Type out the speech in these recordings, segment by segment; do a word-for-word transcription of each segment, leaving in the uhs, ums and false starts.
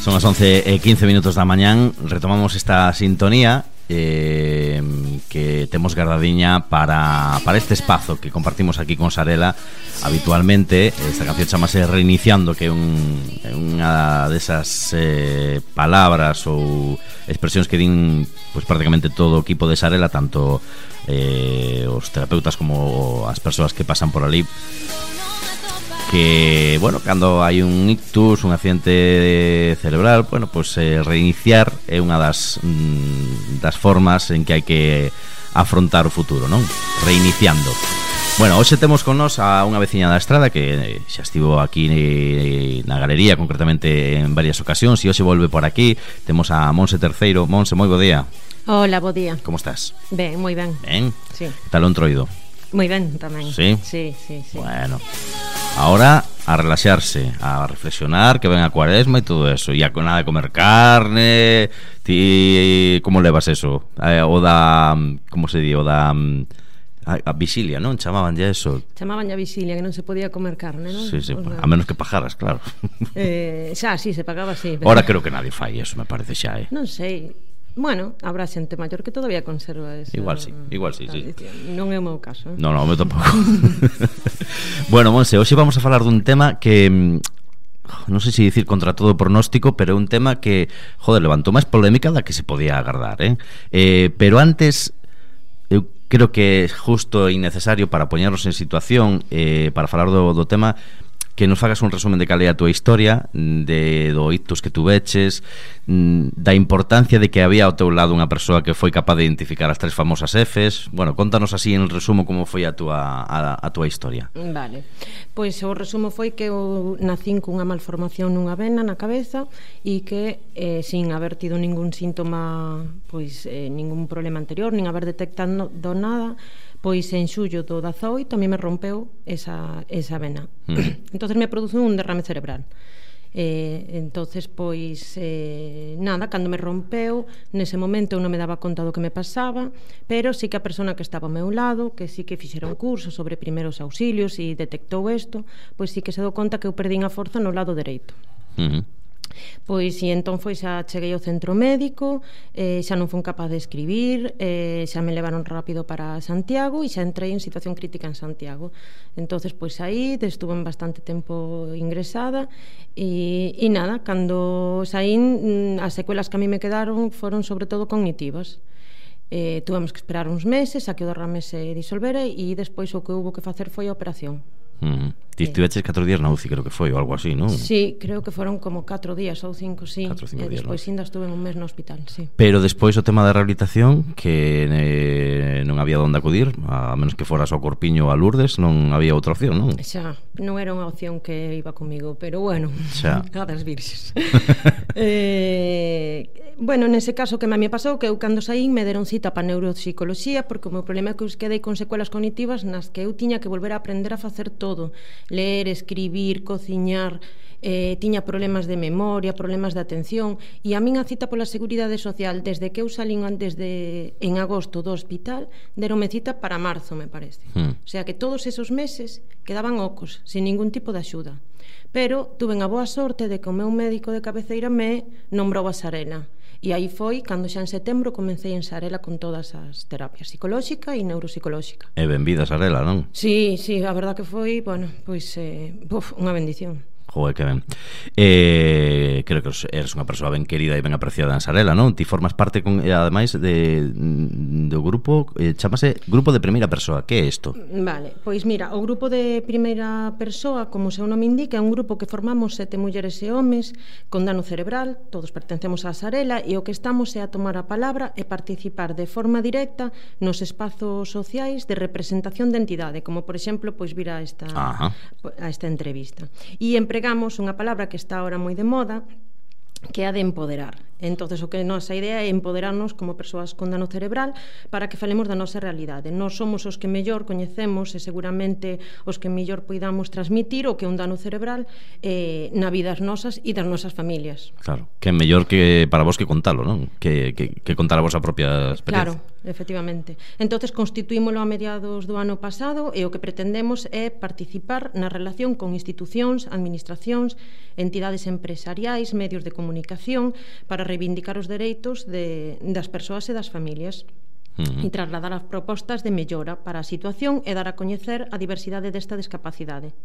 Son as once e quince minutos da mañán. Retomamos esta sintonía eh, que temos guardadiña para, para este espazo que compartimos aquí con Sarela habitualmente. Esta canción chamase Reiniciando, que é un, unha desas eh, palabras ou expresións que din pues, prácticamente todo o equipo de Sarela, tanto eh, os terapeutas como as persoas que pasan por ali, que, bueno, cando hai un ictus, un accidente cerebral, bueno, pues eh, reiniciar é unha das mm, das formas en que hai que afrontar o futuro, non? Reiniciando. Bueno, hoxe temos con nós a unha veciña da Estrada que xa estivo aquí na galería, concretamente en varias ocasións, e hoxe volve por aquí. Temos a Monse Terceiro. Monse, moi bo día. Hola, bo día. Como estás? Ben, moi ben. Ben? Sí. Que tal o entroido? Moi ben tamén. Sí? Sí, sí, sí. Bueno, ahora a relaxarse, a reflexionar, que ven a cuaresma e todo eso, e a nada de comer carne. Ti, como levas eso? Eh, o da, como se di, o da a, a vixilia, non? Chamaban ya eso. Chamaban ya vixilia, que non se podía comer carne, non? Sí, sí, O sea, a menos que pajaras, claro. eh, xa, sí, se pagaba así. Pero... Ahora creo que nadie fai eso, me parece xa, eh. Non sei. Bueno, habrá xente maior que todavía conserva esa Igual sí, igual sí, sí. Non é o meu caso, eh? No, no, o meu tampouco. Bueno, Monse, hoxe vamos a falar dun tema que non sei se dicir contra todo pronóstico, pero é un tema que, joder, levantou máis polémica da que se podía agardar, eh? eh pero antes, eu creo que é justo e innecesario para poñernos en situación, eh, para falar do, do tema, que nos fagas un resumen de cal é a túa historia, de do ictus que tu veches, da importancia de que había ao teu lado unha persoa que foi capaz de identificar as tres famosas Fs. Bueno, contanos así en resumo como foi a túa, a, a túa historia. Vale, pois o resumo foi que eu nacín cunha malformación nunha vena na cabeza e que eh, sin haber tido ningún síntoma, pois eh, ningún problema anterior, nin haber detectado nada, pois en xullo do dezaoito a mí me rompeu esa, esa vena. Mm. Entonces me produce un derrame cerebral. Eh, entonces pois eh, nada, cando me rompeu nese momento eu non me daba conta do que me pasaba, pero sí que a persona que estaba ao meu lado, que sí que fixera un curso sobre primeiros auxilios e detectou isto, pois sí que se dou conta que eu perdín a forza no lado dereito. Uh-huh. Pois e entón foi xa cheguei ao centro médico, eh, xa non fun capaz de escribir, eh, xa me levaron rápido para Santiago e xa entrei en situación crítica en Santiago. Entonces pois aí estuve bastante tempo ingresada e, e nada, cando saín as secuelas que a mí me quedaron foron sobre todo cognitivas. Eh, tuvemos que esperar uns meses a que o derrame se disolvera e despois o que houve que facer foi a operación. Uh-huh. Ti estiveches catro días na U C I, creo que foi, ou algo así, non? Sí, creo que foron como catro días ou cinco, sí. catro, cinco e días, despois ¿no? ainda estuve un mes no hospital, sí. Pero despois o tema da rehabilitación, que eh, non había onde acudir, a menos que foras ao Corpiño a Lourdes, non había outra opción, non? Xa, non era unha opción que iba comigo, pero bueno, xa. A das virxes. eh, bueno, nese caso que a mí me pasou, que eu cando saín me deron cita para neuropsicoloxía, porque o meu problema é que eu quedei con secuelas cognitivas nas que eu tiña que volver a aprender a facer todo, ler, escribir, cociñar, eh, tiña problemas de memoria, problemas de atención, e a min a cita pola Seguridade Social desde que eu salín antes de en agosto do hospital, deronme cita para marzo, me parece. Hmm. O sea que todos esos meses quedaban ocos, sin ningún tipo de axuda. Pero tuve a boa sorte de que o meu médico de cabeceira me nombrou a Sarela. E aí foi cando xa en setembro comecei en Sarela con todas as terapias psicolóxica e neuropsicolóxica. E benvida Sarela, non? Sí, sí, a verdad que foi, bueno, pois eh, uf, unha bendición. Joder, que ben. Eh, creo que eres unha persoa ben querida e ben apreciada en Sarela, non? Ti formas parte, con, ademais, de, do grupo, eh, chamase Grupo de Primeira Persoa. Que é isto? Vale, pois mira, o Grupo de Primeira Persoa, como o seu nome indica, é un grupo que formamos sete mulleres e homes con dano cerebral, todos pertencemos á Sarela, e o que estamos é a tomar a palabra e participar de forma directa nos espazos sociais de representación de entidade, como, por exemplo, pois vir a esta, a esta entrevista. E empregamos unha palabra que está ahora moi de moda, que é a de empoderar. Entonces, o que nosa idea é empoderarnos como persoas con dano cerebral para que falemos da nosa realidade. Nós somos os que mellor coñecemos e seguramente os que mellor poidamos transmitir o que é un dano cerebral eh, na vida das nosas e das nosas familias. Claro, que é mellor que para vos que contalo, non? Que, que, que contar a vosa propia experiencia. Claro, efectivamente. Entonces constituímolo a mediados do ano pasado e o que pretendemos é participar na relación con institucións, administracións, entidades empresariais, medios de comunicación para reivindicar os dereitos de, das persoas e das familias. Uh-huh. E trasladar as propostas de mellora para a situación e dar a coñecer a diversidade desta discapacidade.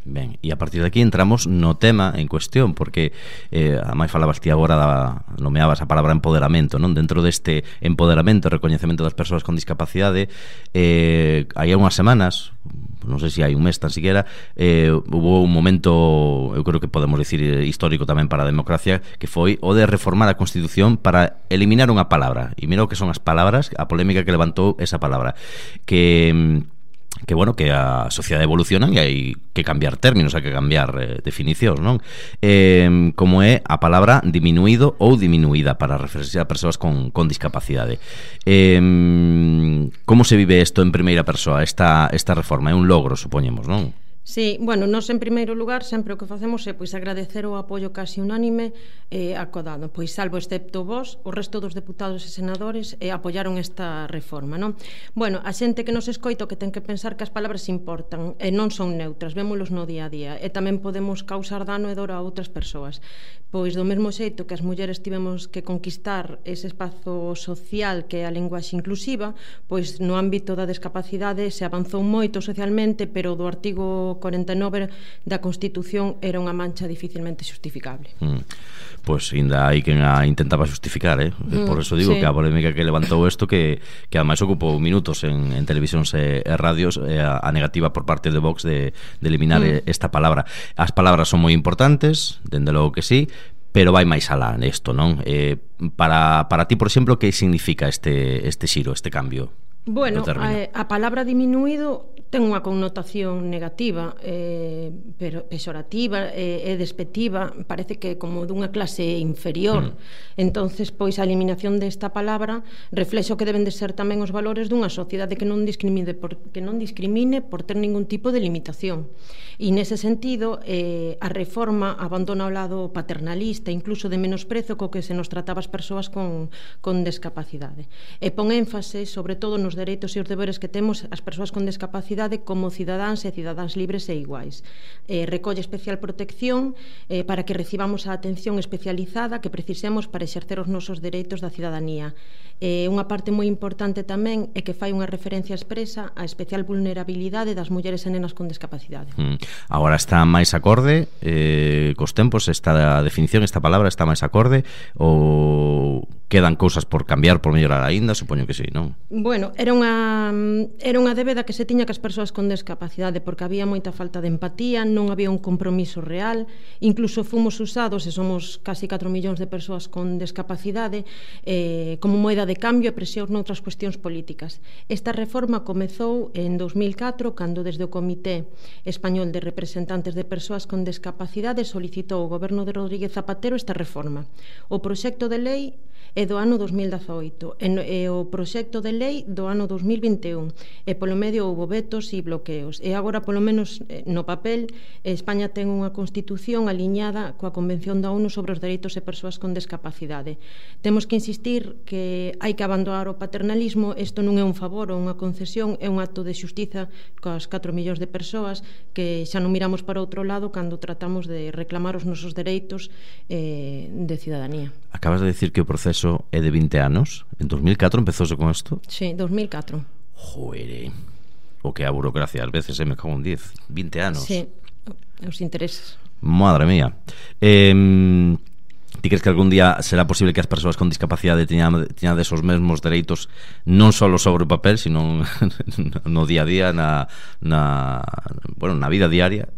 Ben, e a partir de aquí entramos no tema en cuestión, porque eh, a máis falabas ti agora da, nomeabas a palabra empoderamento, non? Dentro deste empoderamento e recoñecemento das persoas con discapacidade, eh, hai unhas semanas, non sei se hai un mes tan siquiera, eh, hubo un momento, eu creo que podemos dicir histórico tamén para a democracia, que foi o de reformar a Constitución para eliminar unha palabra. E mira o que son as palabras, a polémica que levantou esa palabra, que que bueno, que a sociedade evoluciona e hai que cambiar términos, hai que cambiar eh, definicións, non? Eh, como é a palabra diminuído ou diminuída para referirse a persoas con, con discapacidade. Eh, como se vive isto en primeira persoa, esta, esta reforma? É un logro, supoñemos, non? Sí, bueno, nós en primeiro lugar sempre o que facemos é pois agradecer o apoio casi unánime eh, acodado, pois salvo excepto vos, o resto dos deputados e senadores eh, apoiaron esta reforma, non? Bueno, a xente que nos escoita que ten que pensar que as palabras importan e non son neutras, vémolos no día a día e tamén podemos causar dano e dor a outras persoas. Pois do mesmo xeito que as mulleres tivemos que conquistar ese espazo social que é a linguaxe inclusiva, pois no ámbito da discapacidade se avanzou moito socialmente, pero do artigo cuarenta e nove da Constitución era unha mancha dificilmente justificable. Mm. Pois ainda hai quen a intentaba justificar, eh? Mm, por eso digo sí. Que a polémica que levantou isto que, que ademais ocupou minutos en, en televisións e, e radios eh, a, a negativa por parte de Vox de, de eliminar mm. esta palabra. As palabras son moi importantes, dende logo que sí, pero vai máis alá nesto, non? Eh, para, para ti, por exemplo, que significa este, este xiro, este cambio? Bueno, a, a palabra diminuído ten unha connotación negativa, eh, pero pesorativa e eh, despectiva, parece que como dunha clase inferior. Mm. Entonces, pois a eliminación desta palabra reflexo que deben de ser tamén os valores dunha sociedade que non discrimine por, que non discrimine por ter ningún tipo de limitación. E nese sentido, eh, a reforma abandona o lado paternalista, incluso de menosprezo co que se nos trataba as persoas con, con discapacidade. E pon énfase, sobre todo, nos dereitos e os deberes que temos as persoas con discapacidade como cidadáns e cidadáns libres e iguais. Eh, recolle especial protección eh, para que recibamos a atención especializada que precisemos para exercer os nosos dereitos da cidadanía. Eh, unha parte moi importante tamén é que fai unha referencia expresa á especial vulnerabilidade das mulleres e nenas con discapacidade. Mm. Agora está máis acorde eh, cos tempos, esta definición, esta palabra está máis acorde ou quedan cousas por cambiar, por mellorar aínda? Supoño que sí, non? Bueno, era unha era unha débeda que se tiña que as persoas con discapacidade porque había moita falta de empatía, non había un compromiso real, incluso fomos usados, e somos casi catro millóns de persoas con discapacidade, eh, como moeda de cambio e presión noutras cuestións políticas. Esta reforma comezou en dos mil catro, cando desde o Comité Español de Representantes de Persoas con Discapacidade solicitou ao goberno de Rodríguez Zapatero esta reforma. O proxecto de lei é do ano dos mil dezaoito e o proxecto de lei do ano dos mil vinte e un e polo medio houve vetos e bloqueos e agora polo menos no papel España ten unha constitución aliñada coa Convención da ONU sobre os dereitos de persoas con discapacidade. Temos que insistir que hai que abandonar o paternalismo, isto non é un favor ou unha concesión, é un acto de xustiza coas catro millóns de persoas que xa non miramos para outro lado cando tratamos de reclamar os nosos dereitos eh, de cidadanía. Acabas de decir que o proceso é de vinte anos. En dos mil catro empezouse con isto? Sí, dos mil catro. Joder, o que a burocracia ás veces se me cago en diez. vinte anos. Sí, os intereses. Madre mía. Eh, ti crees que algún día será posible que as persoas con discapacidade teñan, teñan desos mesmos dereitos non só sobre o papel, sino no día a día, na, na, bueno, na vida diaria?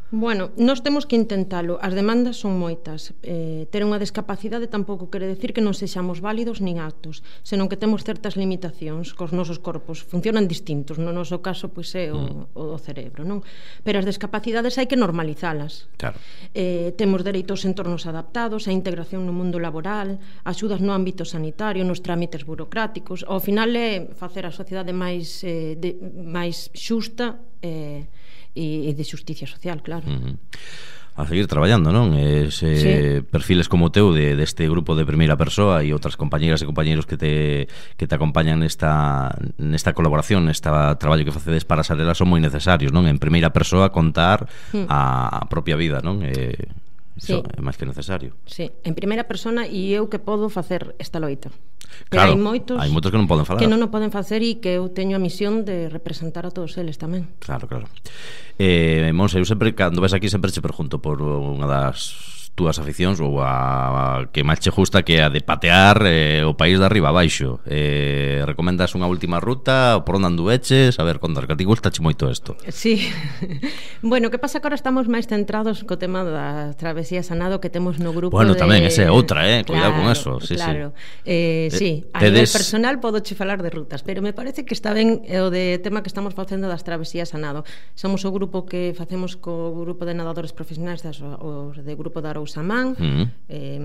Bueno, nós temos que intentalo. As demandas son moitas. Eh, ter unha discapacidade tampouco quere decir que non sexamos válidos nin aptos, senón que temos certas limitacións cos nosos corpos. Funcionan distintos. No noso caso, pois, é o, mm. o cerebro, non? Pero as discapacidades hai que normalizalas. Claro. Eh, temos dereitos en entornos adaptados, a integración no mundo laboral, axudas no ámbito sanitario, nos trámites burocráticos. Ao final é facer a sociedade máis, eh, de, máis xusta e eh, e de xusticia social, claro. Uh-huh. A seguir traballando, non? Ese sí. Perfiles como o teu de, deste grupo de primeira persoa e outras compañeras e compañeros que te, que te acompañan nesta, nesta colaboración, neste traballo que facedes para Sarela son moi necesarios, non? En primeira persoa contar mm. a, a propia vida, non? Eh, Iso sí. é máis que necesario. Sí, en primeira persona, e eu que podo facer esta loita. Pero claro, hai moitos, hai moitos que non poden falar. Que non o poden facer e que eu teño a misión de representar a todos eles tamén. Claro, claro. Eh, Monse, eu sempre, cando ves aquí, sempre te pregunto por unha das túas aficións ou a, a que máis che gusta, que é a de patear eh, o país de arriba a baixo. Eh, recomendas unha última ruta, por onde andueches? A ver, contar, que a ti gustache moito isto. Sí. Bueno, que pasa que ahora estamos máis centrados co tema da travesía Sanado que temos no grupo. Bueno, de... tamén, esa é outra, eh? Cuidado claro, con eso. Sí, claro. Sí. Eh, sí, a Tedes... nivel personal podo che falar de rutas, pero me parece que está ben o de tema que estamos facendo das travesías Sanado. Somos o grupo que facemos co grupo de nadadores profesionais das, o de grupo da Arousamán, uh-huh. eh,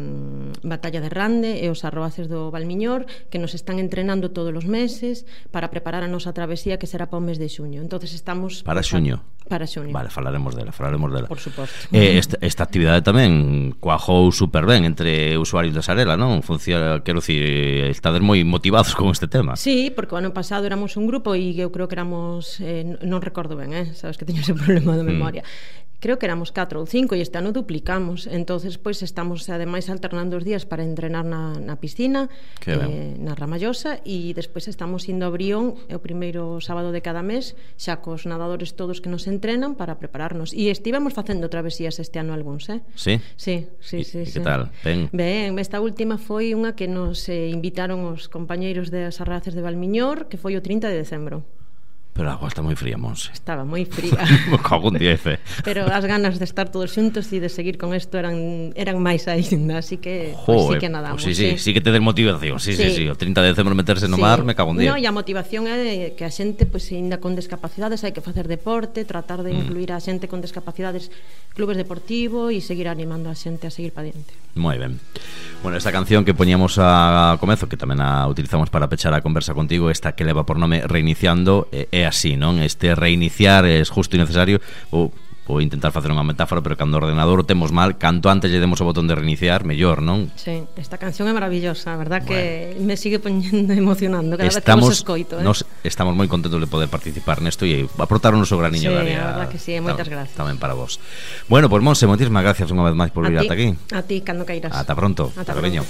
Batalla de Rande e os arroaces do Valmiñor, que nos están entrenando todos os meses para preparar a nosa travesía, que será para o mes de xuño. Entonces estamos para xuño. Para xuño. Vale, falaremos dela, falaremos dela. Por suposto. Eh, esta, esta actividade tamén cuajou super ben entre usuarios da Sarela, non? Funciona, quero dicir, estades moi motivados con este tema. Sí, porque o ano pasado éramos un grupo e eu creo que éramos, eh, non recordo ben, eh? Sabes que teño ese problema de memoria. Mm. Creo que éramos catro ou cinco e este ano duplicamos. Entonces, pois, estamos ademais alternando os días para entrenar na, na piscina, eh, na Ramallosa, e despois estamos indo a Brión o primeiro sábado de cada mes, xa cos nadadores todos que nos entrenan para prepararnos. E estivemos facendo travesías este ano algúns, eh? Sí? Sí, sí, sí. E sí. que tal? Ben? Ben, esta última foi unha que nos eh, invitaron os compañeiros das Arraces de Valmiñor, que foi o trinta de decembro. Pero a agua está moi fría, Monse. Estaba moi fría. Me cago en diez. Pero as ganas de estar todos xuntos e de seguir con isto eran eran máis aínda, así que pues, sí que nadamos. Pues sí, sí, sí, sí que te den motivación. Sí, sí, sí, sí. O trinta de decembro meterse no sí. mar, me cago en diez. No, e a motivación é que a xente, pois, pues, ainda con discapacidades, hai que facer deporte, tratar de incluir mm. a xente con discapacidades, clubes deportivos e seguir animando a xente a seguir para diante. Moi ben. Bueno, esta canción que poñíamos a comezo, que tamén a utilizamos para pechar a conversa contigo, esta que leva por nome Reiniciando, é así, non? Este reiniciar é justo e necesario. Ou ou intentar facer unha metáfora, pero cando o ordenador o temos mal, canto antes lle demos o botón de reiniciar, mellor, non? Sí, esta canción é maravillosa, a verdad, bueno, que me sigue poñendo emocionando cada estamos, vez que vos escoito, eh? Nos estamos moi contentos de poder participar nesto e aportar o noso graniño sí, de área. Sí, a verdad que sí, moitas gracias. Tamén para vos. Bueno, pois, pues, Monse, moitísimas gracias unha vez máis por vir ata aquí. A ti, cando queiras. Ata pronto. Ata pronto.